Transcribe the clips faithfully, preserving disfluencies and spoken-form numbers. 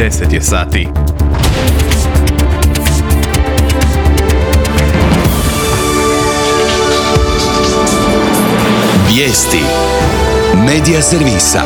deset je sati. Vijesti Medija servisa.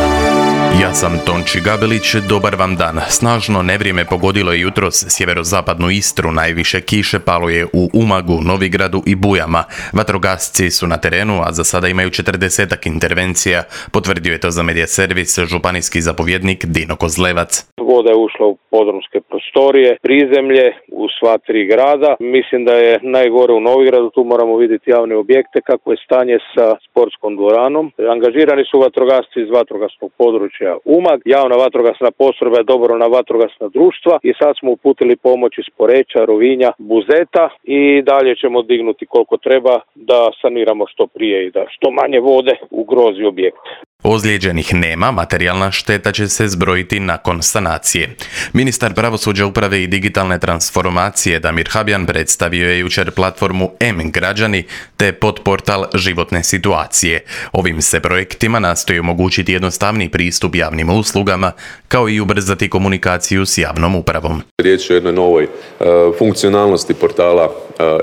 Ja sam Tonči Gabelić, dobar vam dan. Snažno nevrijeme pogodilo je jutros sjeverozapadnu Istru, najviše kiše palo je u Umagu, Novigradu i Bujama. Vatrogasci su na terenu, a za sada imaju četrdesetak intervencija, potvrdio je to za Medija servis županijski zapovjednik Dino Kozlevac. Voda je ušla u podrumske prostorije, prizemlje, u sva tri grada. Mislim da je najgore u Novigradu, tu moramo vidjeti javne objekte, kako je stanje sa sportskom dvoranom. Angažirani su vatrogasci iz vatrogasnog područja Umag, javna vatrogasna postrojba je dobrovoljna vatrogasna društva i sad smo uputili pomoć iz Poreča, Rovinja, Buzeta i dalje ćemo dignuti koliko treba da saniramo što prije i da što manje vode ugrozi objekte. Ozlijeđenih nema, materijalna šteta će se zbrojiti nakon sanacije. Ministar pravosuđa, uprave i digitalne transformacije Damir Habjan predstavio je jučer platformu M-Građani te podportal Životne situacije. Ovim se projektima nastoji omogućiti jednostavni pristup javnim uslugama, kao i ubrzati komunikaciju s javnom upravom. Riječ je o jednoj novoj uh, funkcionalnosti portala uh,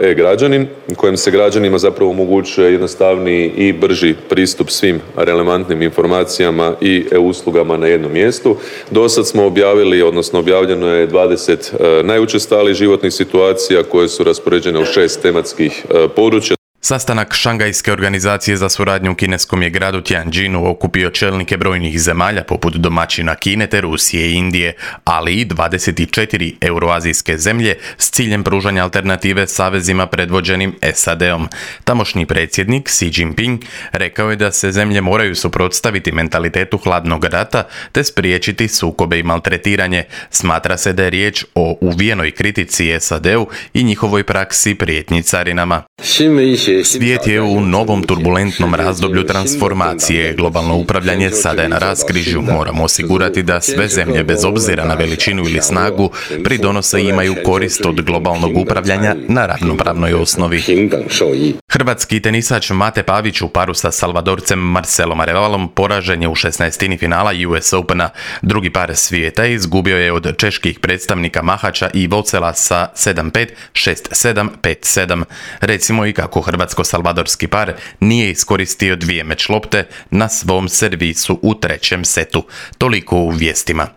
E-Građanin, kojim se građanima zapravo omogućuje jednostavniji i brži pristup svim relevantnim informacijama i e-uslugama na jednom mjestu. Do sad smo objavili, odnosno objavljeno je dvadeset uh, najučestalijih životnih situacija koje su raspoređene u šest tematskih uh, područja. Sastanak Šangajske organizacije za suradnju u kineskom je gradu Tianjinu okupio čelnike brojnih zemalja poput domaćina Kine te Rusije i Indije, ali i dvadeset četiri euroazijske zemlje s ciljem pružanja alternative savezima predvođenim S A D-om. Tamošnji predsjednik Xi Jinping rekao je da se zemlje moraju suprotstaviti mentalitetu hladnog rata te spriječiti sukobe i maltretiranje. Smatra se da je riječ o uvijenoj kritici S A D-u i njihovoj praksi prijetnji carinama. Svijet je u novom turbulentnom razdoblju transformacije. Globalno upravljanje sada je na raskrižju. Moramo osigurati da sve zemlje, bez obzira na veličinu ili snagu, pridonose i imaju korist od globalnog upravljanja na ravnopravnoj osnovi. Hrvatski tenisač Mate Pavić u paru sa Salvadorcem Marcelom Arevalom poražen je u šesnaestini finala U S Opena. Drugi par svijeta izgubio je od čeških predstavnika Mahača i Vocela sa sedam pet, šest sedam, pet sedam. Recimo i kako hrvatsko-salvadorski par nije iskoristio dvije meč lopte na svom servisu u trećem setu. Toliko u vijestima.